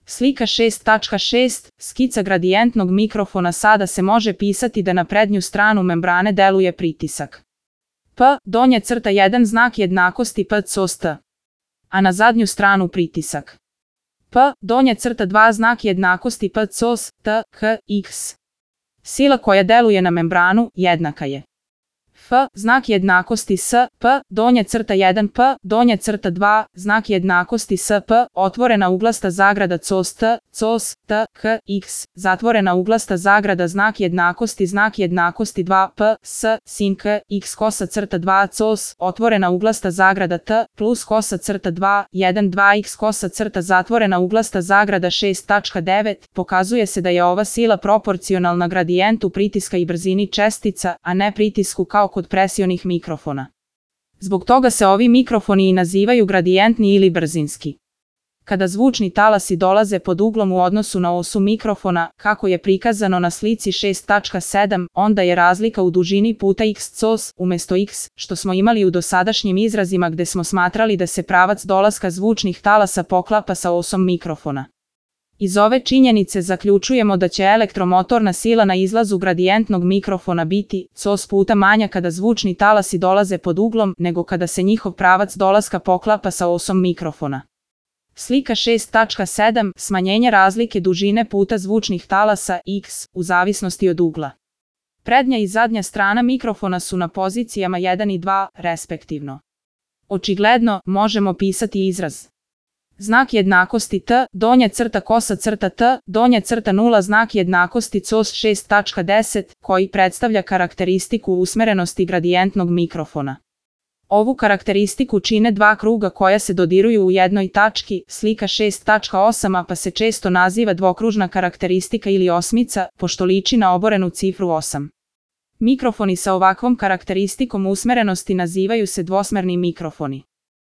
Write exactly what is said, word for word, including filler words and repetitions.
Slika šest tačka šest. Skica gradijentnog mikrofona. Sada se može pisati da na prednju stranu membrane deluje pritisak P, donja crta jedan znak jednakosti P C O S T, a na zadnju stranu pritisak P, donja crta dva znak jednakosti P C O S T, H, X. Sila koja deluje na membranu jednaka je F, znak jednakosti S, P, donja crta jedan P, donja crta dva, znak jednakosti S, P, otvorena uglasta zagrada C O S T, C O S T, H, X, zatvorena uglasta zagrada znak jednakosti znak jednakosti dva P, S, sin K, X kosa crta dva C O S, otvorena uglasta zagrada T, plus kosa crta dva, jedan dva X kosa crta zatvorena uglasta zagrada šest tačka devet, pokazuje se da je ova sila proporcionalna gradijentu pritiska i brzini čestica, a ne pritisku kao kod presionih mikrofona. Zbog toga se ovi mikrofoni i nazivaju gradijentni ili brzinski. Kada zvučni talasi dolaze pod uglom u odnosu na osu mikrofona, kako je prikazano na slici šest tačka sedam, onda je razlika u dužini puta X C O S, umjesto X, što smo imali u dosadašnjim izrazima gde smo smatrali da se pravac dolaska zvučnih talasa poklapa sa osom mikrofona. Iz ove činjenice zaključujemo da će elektromotorna sila na izlazu gradijentnog mikrofona biti C O S puta manja kada zvučni talasi dolaze pod uglom nego kada se njihov pravac dolaska poklapa sa osom mikrofona. Slika šest tačka sedam. Smanjenje razlike dužine puta zvučnih talasa X u zavisnosti od ugla. Prednja i zadnja strana mikrofona su na pozicijama jedan i dva, respektivno. Očigledno, možemo pisati izraz znak jednakosti T, donja crta kosa crta T, donja crta nula znak jednakosti C O S šest tačka deset, koji predstavlja karakteristiku usmerenosti gradijentnog mikrofona. Ovu karakteristiku čine dva kruga koja se dodiruju u jednoj tački, slika šest tačka osam, pa se često naziva dvokružna karakteristika ili osmica, pošto liči na oborenu cifru osam. Mikrofoni sa ovakvom karakteristikom usmerenosti nazivaju se dvosmerni mikrofoni.